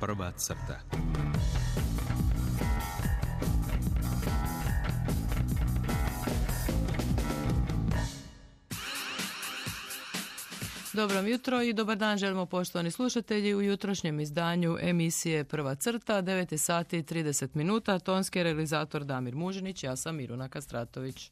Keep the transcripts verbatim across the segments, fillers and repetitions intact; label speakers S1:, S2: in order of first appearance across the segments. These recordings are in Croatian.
S1: Prva crta.
S2: Dobro jutro i dobar dan želimo poštovani slušatelji u jutrošnjem izdanju emisije Prva crta, devet sati i trideset minuta, tonski realizator Damir Mužinić, ja sam Miruna Kastratović.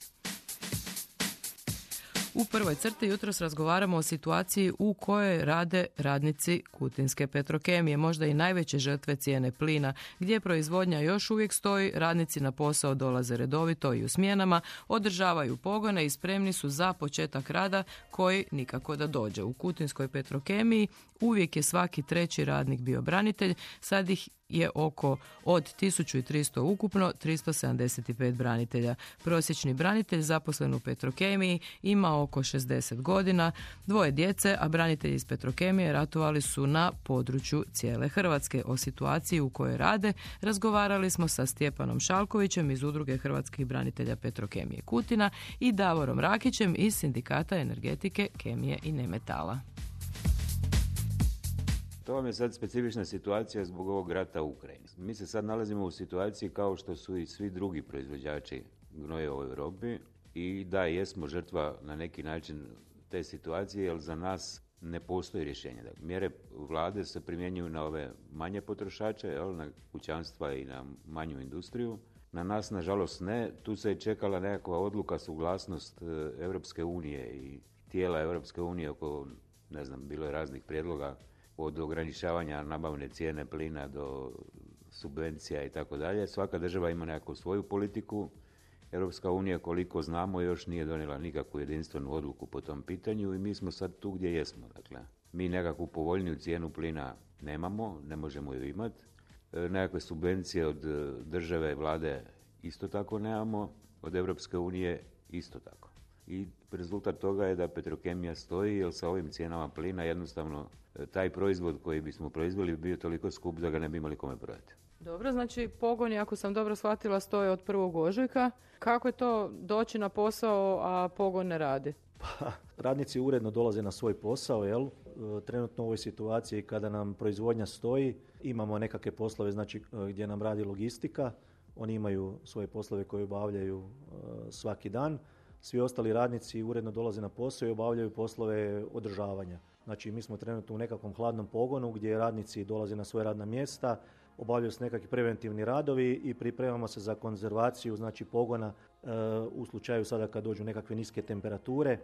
S2: U prvoj crti jutros razgovaramo o situaciji u kojoj rade radnici Kutinske Petrokemije, možda i najveće žrtve cijene plina, gdje proizvodnja još uvijek stoji, radnici na posao dolaze redovito i u smjenama, održavaju pogone i spremni su za početak rada koji nikako da dođe. U Kutinskoj Petrokemiji uvijek je svaki treći radnik bio branitelj, sad ih je oko od tisuću tristo ukupno, tristo sedamdeset pet branitelja. Prosječni branitelj zaposlen u Petrokemiji ima oko šezdeset godina, dvoje djece, a branitelji iz Petrokemije ratovali su na području cijele Hrvatske. O situaciji u kojoj rade razgovarali smo sa Stjepanom Šalkovićem iz Udruge hrvatskih branitelja Petrokemije Kutina i Davorom Rakićem iz Sindikata energetike, kemije i nemetala.
S3: To vam je sad specifična situacija zbog ovog rata u Ukrajini. Mi se sad nalazimo u situaciji kao što su i svi drugi proizvođači gnojeva u Europi i da, jesmo žrtva na neki način te situacije, jer za nas ne postoji rješenje. Mjere vlade se primjenjuju na ove manje potrošače, jel, na kućanstva i na manju industriju. Na nas, nažalost, ne. Tu se je čekala nekakva odluka, suglasnost Europske unije i tijela Europske unije oko, ne znam, bilo je raznih prijedloga od ograničavanja nabavne cijene plina do subvencija i tako dalje. Svaka država ima nekakvu svoju politiku. Europska unija, koliko znamo, još nije donijela nikakvu jedinstvenu odluku po tom pitanju i mi smo sad tu gdje jesmo. Dakle, mi nekakvu povoljniju cijenu plina nemamo, ne možemo ju imati. E, nekakve subvencije od države, vlade isto tako nemamo, od Europske unije isto tako. I rezultat toga je da Petrokemija stoji, jer sa ovim cijenama plina jednostavno taj proizvod koji bismo proizveli bi bio toliko skup da ga ne bi imali kome prodati.
S2: Dobro, znači pogoni, ako sam dobro shvatila, stoje od prvog ožujka. Kako je to doći na posao, a pogon ne radi?
S4: Pa, radnici uredno dolaze na svoj posao, jel? Trenutno u ovoj situaciji kada nam proizvodnja stoji, imamo nekakve poslove, znači gdje nam radi logistika, oni imaju svoje poslove koje obavljaju uh, svaki dan. Svi ostali radnici uredno dolaze na posao i obavljaju poslove održavanja. Znači, mi smo trenutno u nekakvom hladnom pogonu gdje radnici dolaze na svoje radna mjesta, obavljaju se nekakvi preventivni radovi i pripremamo se za konzervaciju, znači pogona e, u slučaju sada kad dođu nekakve niske temperature,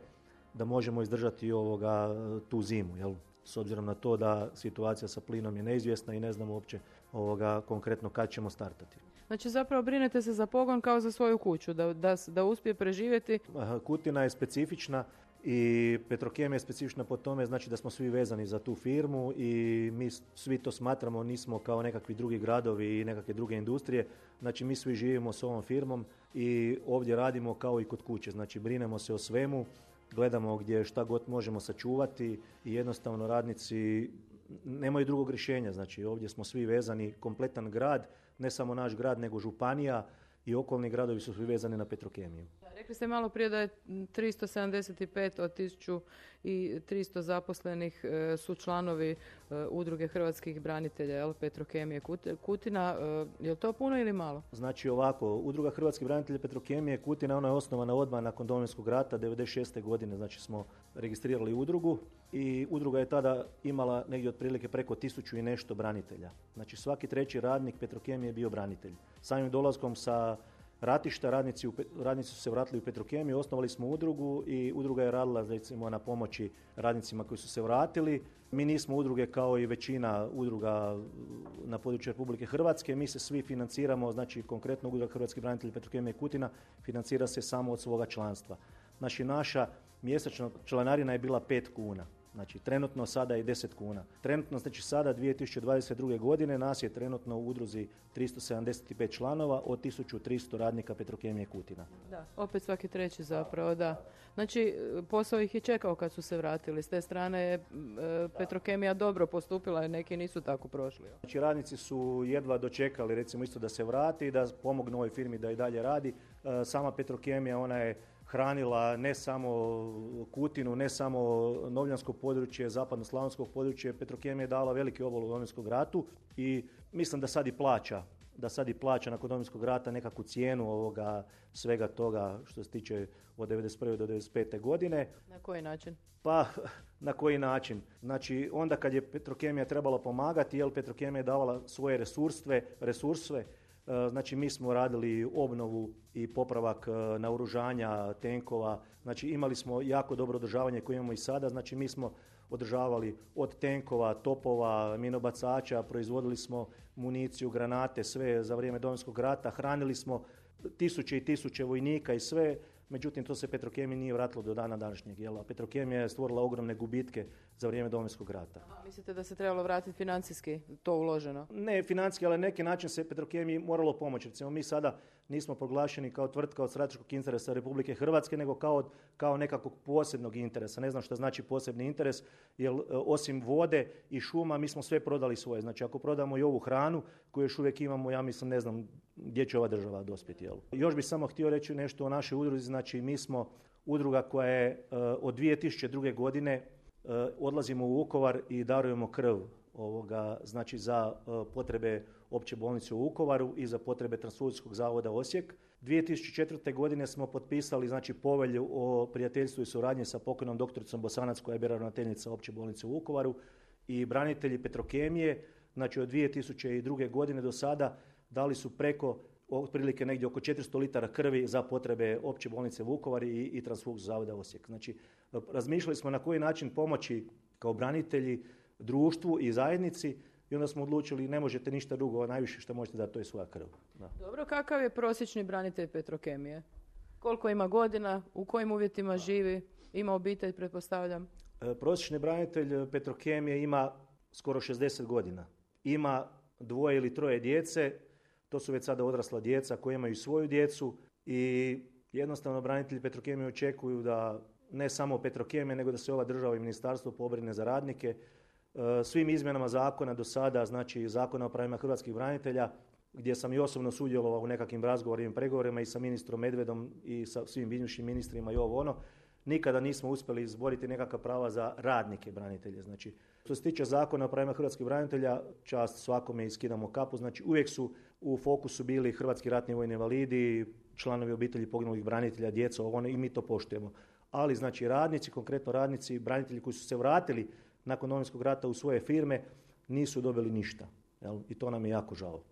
S4: da možemo izdržati ovoga tu zimu, jel? S obzirom na to da situacija sa plinom je neizvjesna i ne znamo uopće ovoga konkretno kad ćemo startati.
S2: Znači zapravo brinete se za pogon kao za svoju kuću, da, da, da uspije preživjeti?
S4: Kutina je specifična i Petrokemija je specifična po tome, znači da smo svi vezani za tu firmu i mi svi to smatramo, nismo kao nekakvi drugi gradovi i nekakve druge industrije, znači mi svi živimo s ovom firmom i ovdje radimo kao i kod kuće, znači brinemo se o svemu, gledamo gdje šta god možemo sačuvati i jednostavno radnici nemaju drugog rješenja, znači ovdje smo svi vezani, kompletan grad, ne samo naš grad nego županija i okolni gradovi su svi vezani na Petrokemiju.
S2: Rekli ste malo prije da je tristo sedamdeset pet od tisuću tristo zaposlenih e, su članovi e, Udruge hrvatskih branitelja, jel, Petrokemije Kutina. E, je li to puno ili malo?
S4: Znači ovako, Udruga hrvatskih branitelja Petrokemije Kutina, ona je osnovana odmah nakon Domovinskog rata, devedeset šeste godine, znači smo registrirali udrugu i udruga je tada imala negdje otprilike preko tisuću i nešto branitelja. Znači svaki treći radnik Petrokemije je bio branitelj. Samim dolaskom sa ratišta radnici, u, radnici su se vratili u Petrokemiju, osnovali smo udrugu i udruga je radila recimo na pomoći radnicima koji su se vratili. Mi nismo udruge kao i većina udruga na području Republike Hrvatske, mi se svi financiramo, znači konkretno Udruga hrvatskih branitelja Petrokemije Kutina financira se samo od svoga članstva. Znači naša mjesečna članarina je bila pet kuna. Znači trenutno sada je deset kuna. Trenutno znači sada dvije tisuće dvadeset druge godine nas je trenutno u udruzi tristo sedamdeset pet članova od tisuću tristo radnika Petrokemije Kutina.
S2: Da, opet svaki treći zapravo, da. Znači posao ih je čekao kad su se vratili. S te strane je e, Petrokemija dobro postupila jer neki nisu tako prošli.
S4: Znači radnici su jedva dočekali recimo isto da se vrati, da pomognu ovoj firmi da i dalje radi. E, sama Petrokemija, ona je hranila ne samo Kutinu, ne samo Novljansko područje, zapadno-slavonskog područje. Petrokemija je dala veliki obol u Domovinskom ratu i mislim da sad i plaća, da sad i plaća nakon Domovinskog rata nekakvu cijenu ovoga svega toga što se tiče od devedeset prve do devedeset pete godine.
S2: Na koji način?
S4: Pa, na koji način? Znači, onda kad je Petrokemija trebala pomagati, jer Petrokemija je davala svoje resurse, resurse, znači mi smo radili obnovu i popravak naoružanja, tenkova, znači imali smo jako dobro održavanje koje imamo i sada, znači mi smo održavali od tenkova, topova, minobacača, proizvodili smo municiju, granate, sve za vrijeme Domovinskog rata, hranili smo tisuće i tisuće vojnika i sve. Međutim, to se Petrokemiji nije vratilo do dana današnjeg. Jel? Petrokemija je stvorila ogromne gubitke za vrijeme Domovinskog rata.
S2: A mislite da se trebalo vratiti financijski to uloženo?
S4: Ne financijski, ali na neki način se Petrokemiji moralo pomoći. Recimo, mi sada nismo proglašeni kao tvrtka od strateškog interesa Republike Hrvatske, nego kao, kao nekakvog posebnog interesa. Ne znam što znači posebni interes, jer osim vode i šuma mi smo sve prodali svoje. Znači, ako prodamo i ovu hranu koju još uvijek imamo, ja mislim, ne znam gdje će ova država dospjeti. Jel? Još bih samo htio reći nešto o našoj udruzi. Znači, mi smo udruga koja je uh, od dvije tisuće druge godine uh, odlazimo u Vukovar i darujemo krv ovoga, znači za uh, potrebe opće bolnice u Vukovaru i za potrebe Transfuzijskog zavoda Osijek. dvije tisuće četvrte godine smo potpisali znači povelju o prijateljstvu i suradnji sa pokojnom doktoricom Bosanac koja je bila ravnateljica opće bolnice u Vukovaru i branitelji Petrokemije, znači od dvije tisuće druge godine do sada dali su preko otprilike negdje oko četiristo litara krvi za potrebe opće bolnice Vukovar i, i Transfuzijskog zavoda Osijek. Znači, razmišljali smo na koji način pomoći kao branitelji društvu i zajednici i onda smo odlučili ne možete ništa drugo, a najviše što možete dati to je svoja krv. Da.
S2: Dobro, kakav je prosječni branitelj Petrokemije? Koliko ima godina, u kojim uvjetima živi, ima obitelj, pretpostavljam?
S4: E, prosječni branitelj Petrokemije ima skoro šezdeset godina. Ima dvoje ili troje djece. To su već sada odrasla djeca koji imaju svoju djecu i jednostavno branitelji Petrokemije očekuju da ne samo Petrokemije, nego da se ova država i ministarstvo pobrine za radnike. Svim izmjenama zakona do sada, znači Zakona o pravima hrvatskih branitelja, gdje sam i osobno sudjelovao u nekakvim razgovorima i pregovorima i sa ministrom Medvedom i sa svim bivšim ministrima i ovo ono, nikada nismo uspjeli izboriti nekakva prava za radnike branitelje. Znači, što se tiče Zakona o pravima hrvatskih branitelja, čast svakome i skidamo kapu, znači uvijek su u fokusu bili hrvatski ratni vojni invalidi, članovi obitelji poginulih branitelja, djeca, ovo ono, i mi to poštujemo. Ali znači radnici, konkretno radnici, branitelji koji su se vratili nakon Domovinskog rata u svoje firme, nisu dobili ništa. Jel? I to nam je jako žao.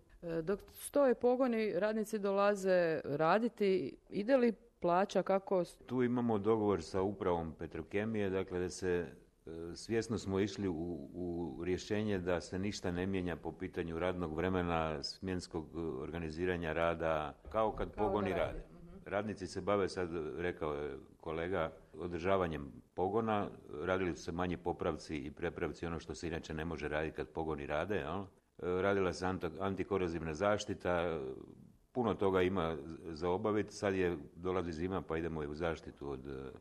S2: Dok stoje pogoni, radnici dolaze raditi, ide li plaća kako?
S3: Tu imamo dogovor sa upravom Petrokemije, dakle da se svjesno smo išli u, u rješenje da se ništa ne mijenja po pitanju radnog vremena, smjenskog organiziranja rada, kao kad kao pogoni rade. rade. Radnici se bave, sad rekao je kolega, održavanjem pogona, radili su se manji popravci i prepravci, ono što se inače ne može raditi kad pogoni rade. Jel? Radila se antikorozivna zaštita, puno toga ima za obaviti, sad je, dolazi zima pa idemo i u zaštitu od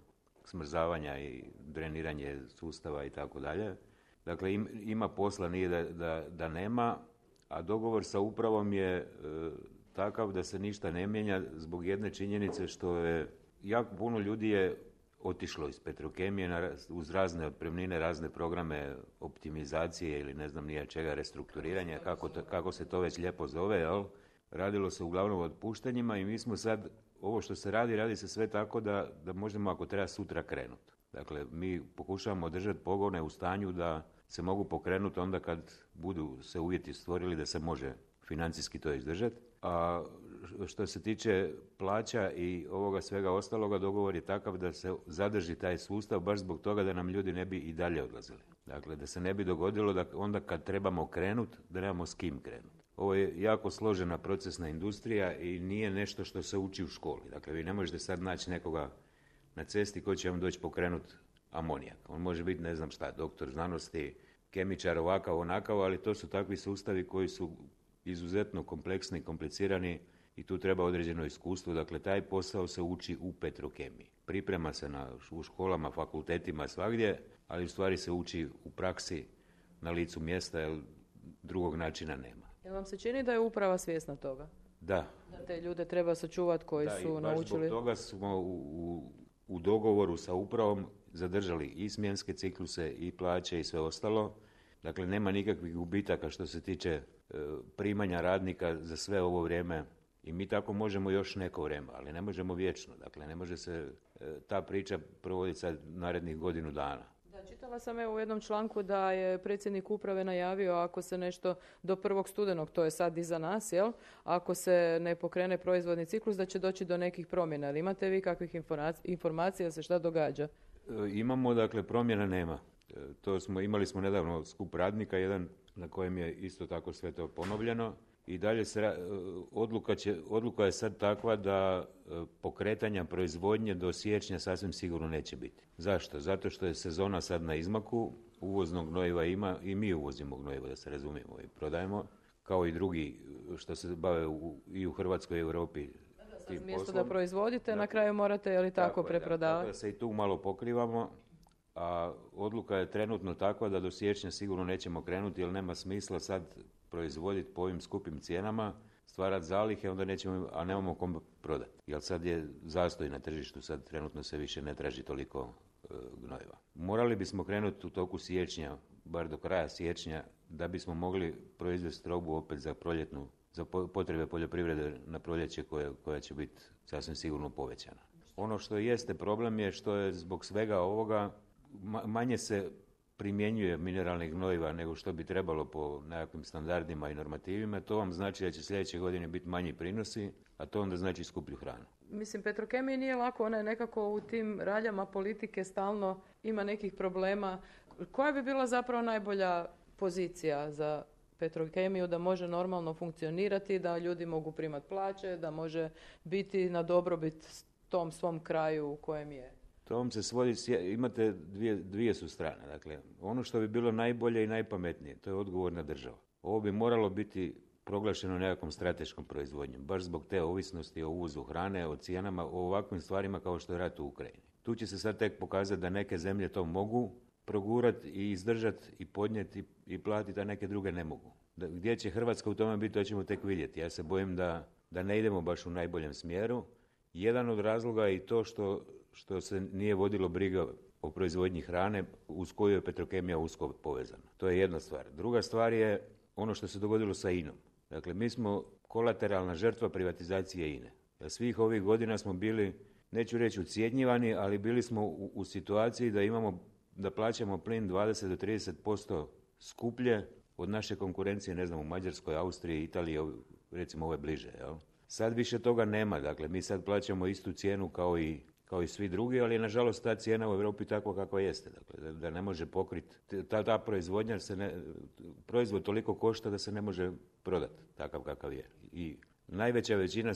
S3: smrzavanja i dreniranje sustava i tako dalje. Dakle, im, ima posla, nije da, da, da nema, a dogovor sa upravom je e, takav da se ništa ne mijenja zbog jedne činjenice što je jako puno ljudi je otišlo iz Petrokemije na, uz razne otpremnine, razne programe optimizacije ili ne znam nije čega, restrukturiranja, kako, to, kako se to već lijepo zove, jel? Radilo se uglavnom o otpuštanjima i mi smo sad, ovo što se radi, radi se sve tako da, da možemo ako treba sutra krenuti. Dakle, mi pokušavamo držati pogone u stanju da se mogu pokrenuti onda kad budu se uvjeti stvorili da se može financijski to izdržati. A što se tiče plaća i ovoga svega ostaloga, dogovor je takav da se zadrži taj sustav baš zbog toga da nam ljudi ne bi i dalje odlazili. Dakle, da se ne bi dogodilo da onda kad trebamo krenuti, da nemamo s kim krenuti. Ovo je jako složena procesna industrija i nije nešto što se uči u školi. Dakle, vi ne možete sad naći nekoga na cesti koji će vam doći pokrenuti amonijak. On može biti, ne znam šta, doktor znanosti, kemičar, ovakav, onakav, ali to su takvi sustavi koji su izuzetno kompleksni i komplicirani i tu treba određeno iskustvo. Dakle, taj posao se uči u Petrokemiji. Priprema se na, u školama, fakultetima, svagdje, ali u stvari se uči u praksi na licu mjesta, jer drugog načina nema.
S2: Jel vam se čini da je uprava svjesna toga?
S3: Da.
S2: Da te ljude treba sačuvati koji
S3: da,
S2: su
S3: i baš
S2: naučili.
S3: Zbog toga smo u, u, u dogovoru sa upravom zadržali i smjenske cikluse i plaće i sve ostalo. Dakle, nema nikakvih gubitaka što se tiče e, primanja radnika za sve ovo vrijeme. I mi tako možemo još neko vrijeme, ali ne možemo vječno. Dakle, ne može se e, ta priča provoditi sad narednih godinu dana.
S2: Da, čitala sam evo u jednom članku da je predsjednik uprave najavio ako se nešto do prvog studenog, to je sad iza nas, jel? Ako se ne pokrene proizvodni ciklus, da će doći do nekih promjena. Ali imate vi kakvih informacija da se šta događa?
S3: E, imamo, dakle, promjena nema. E, to smo, imali smo nedavno skup radnika, jedan na kojem je isto tako sve to ponovljeno. I dalje se, odluka, će, odluka je sad takva da pokretanja proizvodnje do siječnja sasvim sigurno neće biti. Zašto? Zato što je sezona sad na izmaku, uvoznog gnojiva ima i mi uvozimo gnojivo, da se razumijemo, i prodajemo, kao i drugi što se bave u, i u Hrvatskoj i Europi.
S2: Da, mjesto da proizvodite, da, na kraju morate, je li tako, tako preprodavati?
S3: Tako da se i tu malo pokrivamo, a odluka je trenutno takva da do siječnja sigurno nećemo krenuti, jer nema smisla sad proizvoditi po ovim skupim cijenama, stvarati zalihe, onda nećemo, a nemamo kom prodati. Jer sad je zastoj na tržištu, sad trenutno se više ne traži toliko e, gnojiva. Morali bismo krenuti u toku siječnja, bar do kraja siječnja, da bismo mogli proizvesti robu opet za proljetnu, za potrebe poljoprivrede na proljeće koja, koja će biti sasvim sigurno povećana. Ono što jeste problem je što je zbog svega ovoga manje se primjenjuje mineralnih gnojiva nego što bi trebalo po nekakvim standardima i normativima. To vam znači da će sljedeće godine biti manji prinosi, a to onda znači skuplju hranu.
S2: Mislim, Petrokemiji nije lako, ona je nekako u tim raljama politike stalno ima nekih problema. Koja bi bila zapravo najbolja pozicija za Petrokemiju da može normalno funkcionirati, da ljudi mogu primati plaće, da može biti na dobrobit tom svom kraju u kojem je?
S3: To vam se svodi, imate dvije, dvije su strane. Dakle, ono što bi bilo najbolje i najpametnije, to je odgovorna država. Ovo bi moralo biti proglašeno nekakvom strateškom proizvodnjom, baš zbog te ovisnosti o uvozu hrane, o cijenama, o ovakvim stvarima kao što je rat u Ukrajini. Tu će se sad tek pokazati da neke zemlje to mogu progurati i izdržati i podnijeti i platiti, a neke druge ne mogu. Da, gdje će Hrvatska u tome biti, to ćemo tek vidjeti. Ja se bojim da, da ne idemo baš u najboljem smjeru. Jedan od razloga je i to što što se nije vodilo briga o proizvodnji hrane uz koju je Petrokemija usko povezana. To je jedna stvar. Druga stvar je ono što se dogodilo sa I N-om. Dakle, mi smo kolateralna žrtva privatizacije I N-e. Jer svih ovih godina smo bili, neću reći ucjenjivani, ali bili smo u, u situaciji da imamo, da plaćamo plin dvadeset do trideset posto skuplje od naše konkurencije, ne znam, u Mađarskoj, Austriji, Italiji, recimo ove bliže. Jel? Sad više toga nema. Dakle, mi sad plaćamo istu cijenu kao i kao i svi drugi, ali je nažalost ta cijena u Europi takva kakva jeste. Dakle, da, da ne može pokriti, ta, ta proizvodnja se ne, proizvod toliko košta da se ne može prodati takav kakav je. I najveća većina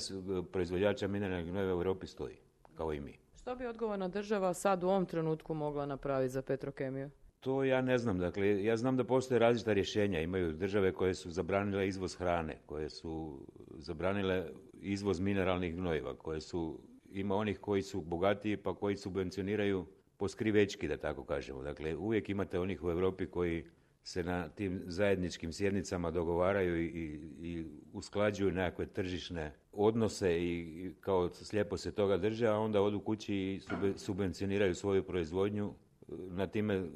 S3: proizvođača mineralnih gnojiva u Europi stoji, kao i mi.
S2: Što bi odgovorna država sad u ovom trenutku mogla napraviti za Petrokemiju?
S3: To ja ne znam. Dakle, ja znam da postoje različita rješenja. Imaju države koje su zabranile izvoz hrane, koje su zabranile izvoz mineralnih gnojiva, koje su ima onih koji su bogatiji pa koji subvencioniraju po skrivečki, da tako kažemo. Dakle, uvijek imate onih u Europi koji se na tim zajedničkim sjednicama dogovaraju i, i, i usklađuju nekakve tržišne odnose i, i kao slijepo se toga drže, a onda odu kući i subvencioniraju svoju proizvodnju. Na time,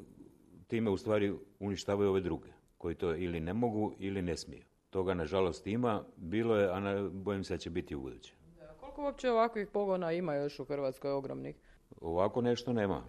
S3: time u stvari uništavaju ove druge, koji to ili ne mogu ili ne smiju. Toga nažalost ima, bilo je, a na, bojim se da će biti u buduće.
S2: Koliko uopće ovakvih pogona ima još u Hrvatskoj ogromnih?
S3: Ovako nešto nema.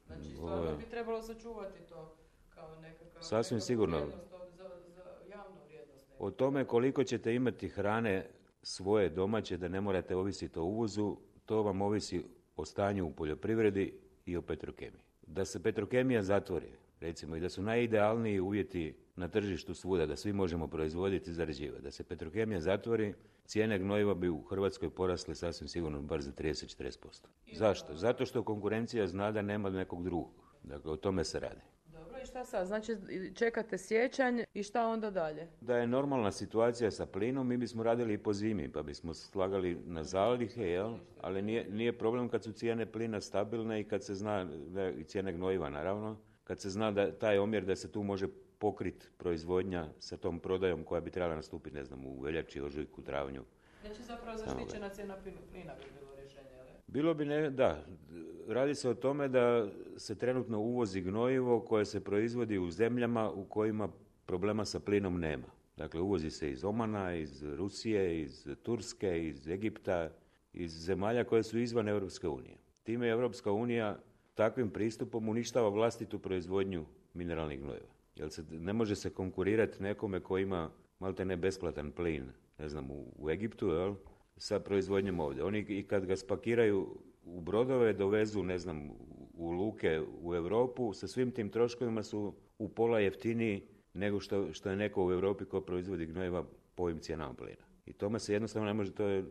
S2: Znači, stvarno bi trebalo sačuvati to kao nekakav...
S3: Sasvim sigurno.
S2: Za, za javnu vrijednost.
S3: O tome koliko ćete imati hrane svoje domaće, da ne morate ovisiti o uvozu, to vam ovisi o stanju u poljoprivredi i o Petrokemiji. Da se Petrokemija zatvori, recimo, i da su najidealniji uvjeti na tržištu svuda, da svi možemo proizvoditi i zarađivati. Da se Petrokemija zatvori, cijene gnojiva bi u Hrvatskoj porasle sasvim sigurno bar za trideset do četrdeset posto. Zašto? Zato što konkurencija zna da nema nekog drugog. Dakle, o tome se radi.
S2: Dobro, i šta sad? Znači, čekate siječanj i šta onda dalje?
S3: Da je normalna situacija sa plinom, mi bismo radili i po zimi, pa bismo slagali na zalihe, jel? Ali nije, nije problem kad su cijene plina stabilne i kad se zna, da, i cijene gnojiva naravno, kad se zna da taj omjer da se tu može pokriti proizvodnja sa tom prodajom koja bi trebala nastupiti, ne znam, u veljači, ožujku, travnju
S2: Znači zapravo zaštićena cijena plina bi bilo rješenje, ali?
S3: Bilo bi ne, da. Radi se o tome da se trenutno uvozi gnojivo koje se proizvodi u zemljama u kojima problema sa plinom nema. Dakle, uvozi se iz Omana, iz Rusije, iz Turske, iz Egipta, iz zemalja koje su izvan Europske unije. Time je Europska unija takvim pristupom uništava vlastitu proizvodnju mineralnih gnojiva. Jer se, ne može se konkurirati nekome koji ima malte ne besplatan plin, ne znam, u, u Egiptu, jel, sa proizvodnjom ovdje. Oni i kad ga spakiraju u brodove, dovezu, ne znam, u luke u Europu, sa svim tim troškovima su u pola jeftiniji nego što, što je neko u Europi ko proizvodi gnojiva po ovim cijenama plina. I tome se jednostavno ne može, to je,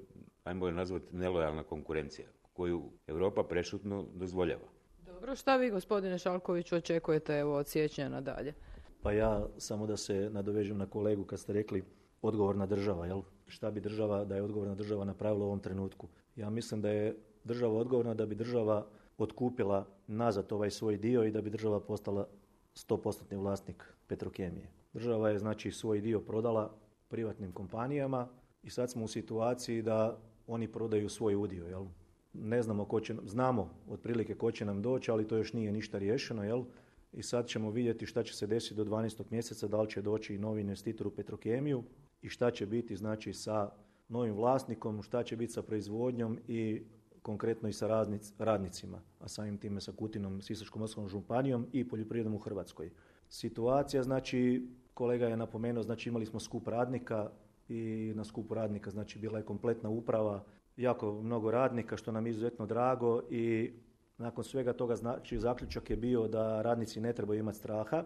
S3: ajmo je nazvati, nelojalna konkurencija koju Europa prešutno dozvoljava.
S2: Dobro, šta vi, gospodine Šalkoviću, očekujete evo, od siječnja nadalje?
S4: Pa ja samo da se nadovežem na kolegu kad ste rekli odgovorna država, jel? Šta bi država, da je odgovorna država napravila u ovom trenutku? Ja mislim da je država odgovorna da bi država otkupila nazad ovaj svoj dio i da bi država postala sto posto vlasnik Petrokemije. Država je znači svoj dio prodala privatnim kompanijama i sad smo u situaciji da oni prodaju svoj udio, jel? Ne znamo ko će, znamo otprilike ko će nam doći, ali to još nije ništa riješeno, jel? I sad ćemo vidjeti šta će se desiti do dvanaestog mjeseca, da li će doći i novi investitor u Petrokemiju i šta će biti znači sa novim vlasnikom, šta će biti sa proizvodnjom i konkretno i sa radnic, radnicima, a samim time sa Kutinom, Sisačko-moslavačkom županijom i poljoprivredom u Hrvatskoj. Situacija, znači, kolega je napomenuo, znači imali smo skup radnika i na skupu radnika, znači bila je kompletna uprava, jako mnogo radnika, što nam je izuzetno drago i nakon svega toga, znači, zaključak je bio da radnici ne trebaju imati straha.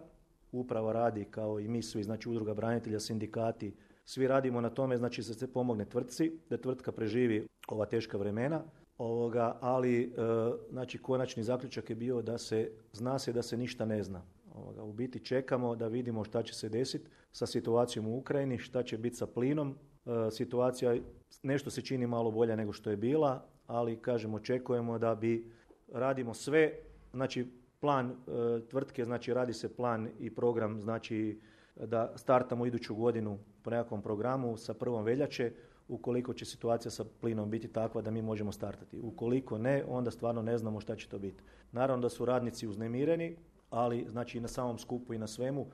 S4: Uprava radi kao i mi svi, znači udruga branitelja, sindikati, svi radimo na tome, znači da se pomogne tvrtci, da tvrtka preživi ova teška vremena. Ovoga, ali e, znači konačni zaključak je bio da se zna se da se ništa ne zna. Ovoga, u biti čekamo da vidimo šta će se desiti sa situacijom u Ukrajini, šta će biti sa plinom. E, situacija nešto se čini malo bolja nego što je bila, ali kažem očekujemo da bi radimo sve, znači plan e, tvrtke, znači radi se plan i program, znači da startamo iduću godinu po nekakvom programu sa prvom veljače. Ukoliko će situacija sa plinom biti takva da mi možemo startati. Ukoliko ne, onda stvarno ne znamo šta će to biti. Naravno da su radnici uznemireni, ali znači i na samom skupu i na svemu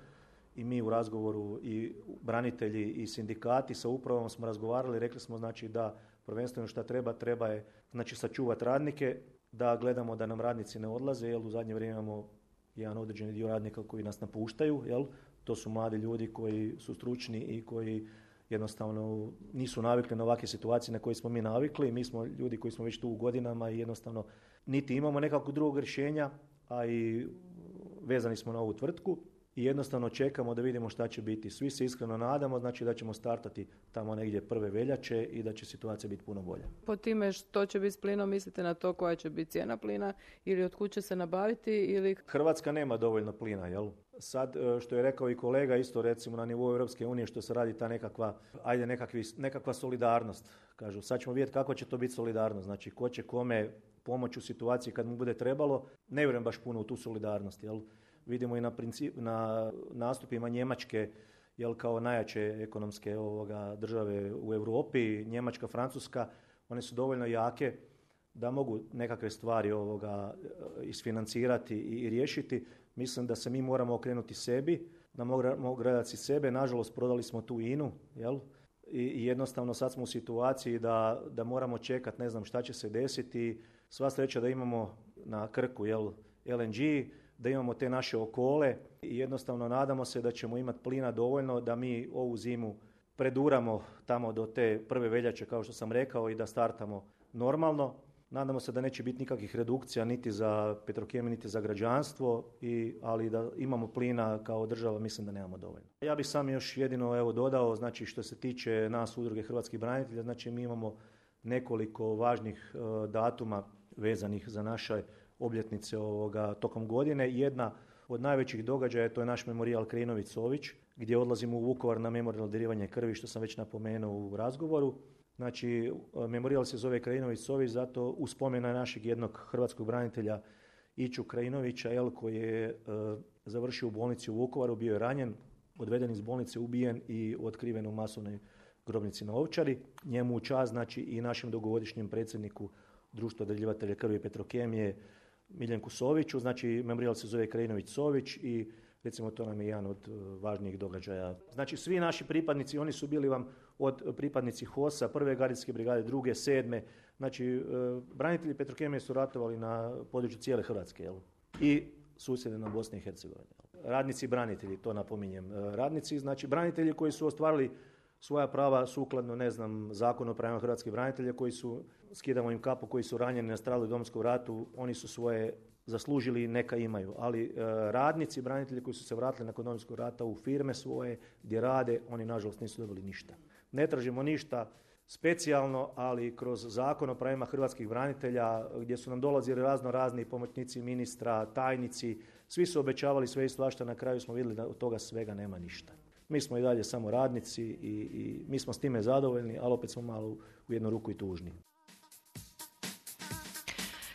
S4: i mi u razgovoru i branitelji i sindikati sa upravom smo razgovarali, rekli smo znači da prvenstveno šta treba, treba je znači sačuvati radnike, da gledamo da nam radnici ne odlaze, jer u zadnje vrijeme imamo jedan određeni dio radnika koji nas napuštaju, jel? To su mladi ljudi koji su stručni i koji jednostavno nisu navikli na ovakve situacije na koje smo mi navikli. Mi smo ljudi koji smo već tu u godinama i jednostavno niti imamo nekakvog drugog rješenja, a i vezani smo na ovu tvrtku i jednostavno čekamo da vidimo šta će biti. Svi se iskreno nadamo, znači da ćemo startati tamo negdje prve veljače i da će situacija biti puno bolja.
S2: Po time što će biti s plinom, mislite na to koja će biti cijena plina ili od kud će se nabaviti? Ili...
S4: Hrvatska nema dovoljno plina, jel? Sad, što je rekao i kolega, isto recimo na nivou Europske unije što se radi ta nekakva, ajde nekakvi, nekakva solidarnost. Kažu, sad ćemo vidjeti kako će to biti solidarnost. Znači, ko će kome pomoći u situaciji kad mu bude trebalo. Ne vjerujem baš puno u tu solidarnost, jel? Vidimo i na, princip, na nastupima Njemačke, jel, kao najjače ekonomske ovoga, države u Europi, Njemačka, Francuska, one su dovoljno jake da mogu nekakve stvari ovoga isfinancirati i, i riješiti. Mislim da se mi moramo okrenuti sebi, da moramo gledati sebe. Nažalost, prodali smo tu I N U, jel? I, i jednostavno sad smo u situaciji da, da moramo čekati, ne znam šta će se desiti. Sva sreća da imamo na Krku, jel, L N G, da imamo te naše okole i jednostavno nadamo se da ćemo imati plina dovoljno da mi ovu zimu preduramo tamo do te prve veljače, kao što sam rekao, i da startamo normalno. Nadamo se da neće biti nikakvih redukcija niti za Petrokemiju, niti za građanstvo, i, ali da imamo plina kao država, mislim da nemamo dovoljno. Ja bih sam još jedino evo dodao, znači što se tiče nas udruge hrvatskih branitelja, znači mi imamo nekoliko važnih uh, datuma vezanih za naše obljetnice ovoga tokom godine. Jedna od najvećih događaja to je naš memorijal Krejnović-Sović, gdje odlazimo u Vukovar na memorijalno darivanje krvi, što sam već napomenuo u razgovoru. Znači, memorijal se zove Krajinović-Sović zato u spomen na našeg jednog hrvatskog branitelja Iću Krajinovića, jel, koji je e, završio u bolnici u Vukovaru, bio je ranjen, odveden iz bolnice, ubijen i otkriven u masovnoj grobnici na Ovčari. Njemu u čast, znači i našem dugogodišnjem predsjedniku Društva darivatelja krvi i Petrokemije Miljenku Soviću, znači memorijal se zove Krajinović Sović i recimo to nam je jedan od važnijih događaja. Znači svi naši pripadnici, oni su bili vam od pripadnici H O S-a, prve gardijske brigade, druge, sedme, znači branitelji Petrokemije su ratovali na području cijele Hrvatske, jel? I susjedne na Bosne i Hercegovine. Radnici branitelji, to napominjem. Radnici, znači branitelji koji su ostvarili svoja prava sukladno, ne znam, Zakonu o pravima hrvatskih branitelja, koji su, skidamo im kapu, koji su ranjeni, nastradali u Domovinskom ratu, oni su svoje zaslužili i neka imaju. Ali e, radnici, branitelji koji su se vratili nakon Domovinskog rata u firme svoje, gdje rade, oni nažalost nisu dobili ništa. Ne tražimo ništa specijalno, ali kroz Zakon o pravima hrvatskih branitelja, gdje su nam dolazili razno razni pomoćnici ministra, tajnici, svi su obećavali sve i svašta, na kraju smo vidjeli da od toga svega nema ništa. Mi smo i dalje samo radnici i, i mi smo s time zadovoljni, ali opet smo malo u jednu ruku i tužni.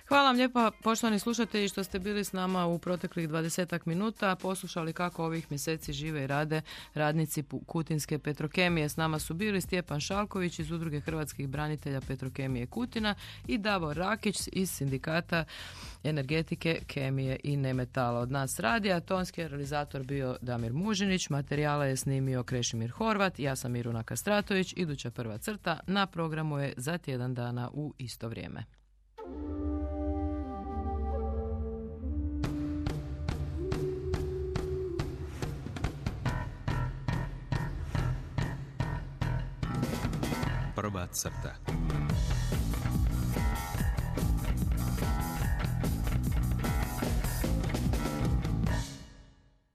S2: Hvala vam lijepa, poštovani slušatelji, što ste bili s nama u proteklih dvadesetak minuta, poslušali kako ovih mjeseci žive i rade radnici Kutinske Petrokemije. S nama su bili Stjepan Šalković iz Udruge hrvatskih branitelja Petrokemije Kutina i Davor Rakić iz Sindikata energetike, kemije i nemetala. Od nas radija, tonski je realizator bio Damir Mužinić, materijala je snimio Krešimir Horvat, ja sam Miruna Kastratović, iduća prva crta na programu je za tjedan dana u isto vrijeme.
S1: Prva crta.